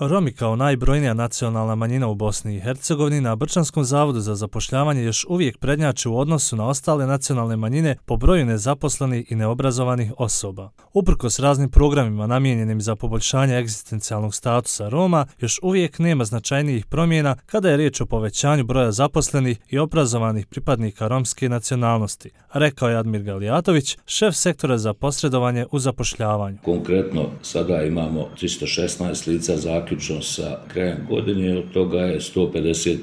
Romi kao najbrojnija nacionalna manjina u Bosni i Hercegovini na Brčanskom zavodu za zapošljavanje još uvijek prednjače u odnosu na ostale nacionalne manjine po broju nezaposlenih i neobrazovanih osoba. Uprkos raznim programima namijenjenim za poboljšanje egzistencijalnog statusa Roma, još uvijek nema značajnijih promjena kada je riječ o povećanju broja zaposlenih i obrazovanih pripadnika romske nacionalnosti, rekao je Admir Galijatović, šef sektora za posredovanje u zapošljavanju. Konkretno sada imamo 316 lica zaključno sa krajem godine, od toga je 150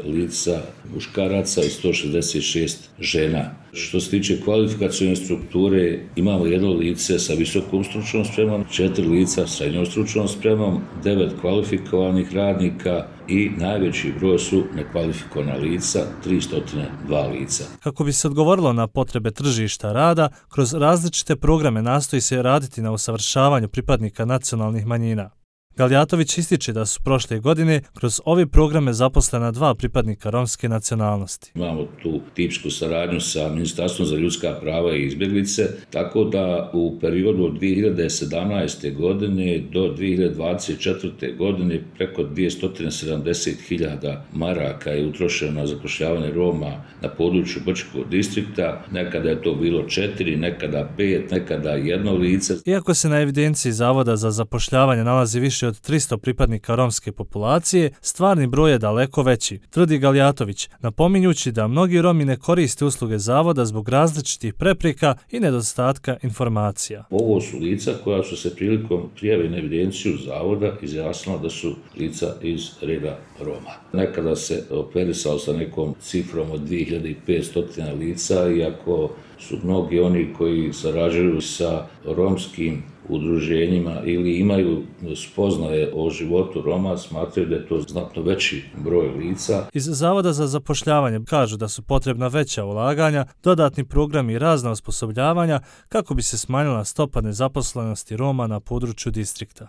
lica muškaraca i 166 žena. Što se tiče kvalifikacione strukture, imamo jedno lice sa visokom stručnom spremom, 4 lica sa srednjom stručnom spremom, 9 kvalifikovanih radnika i najveći broj su nekvalifikovana lica, 302 lica. Kako bi se odgovorilo na potrebe tržišta rada, kroz različite programe nastoji se raditi na usavršavanju pripadnika nacionalnih manjina. Galijatović ističe da su prošle godine kroz ove programe zaposlena 2 pripadnika romske nacionalnosti. Imamo tu tipsku saradnju sa Ministarstvom za ljudska prava i izbjeglice, tako da u periodu od 2017. godine do 2024. godine preko 270.000 maraka je utrošeno na zapošljavanje Roma na području Brčkog distrikta. Nekada je to bilo 4, nekada 5, nekada 1 lice. Iako se na evidenciji Zavoda za zapošljavanje nalazi više od 300 pripadnika romske populacije, stvarni broj je daleko veći, tvrdi Galijatović, napominjući da mnogi Romi ne koriste usluge zavoda zbog različitih prepreka i nedostatka informacija. Ovo su lica koja su se prilikom prijave na evidenciju zavoda izjasnila da su lica iz reda Roma. Nekada se operisalo sa nekom cifrom od 2500 lica, iako su mnogi oni koji sarađuju sa romskim udruženjima ili imaju spoznaje o životu Roma, smatraju da je to znatno veći broj lica. Iz Zavoda za zapošljavanje kažu da su potrebna veća ulaganja, dodatni programi i razna osposobljavanja kako bi se smanjila stopa nezaposlenosti Roma na području distrikta.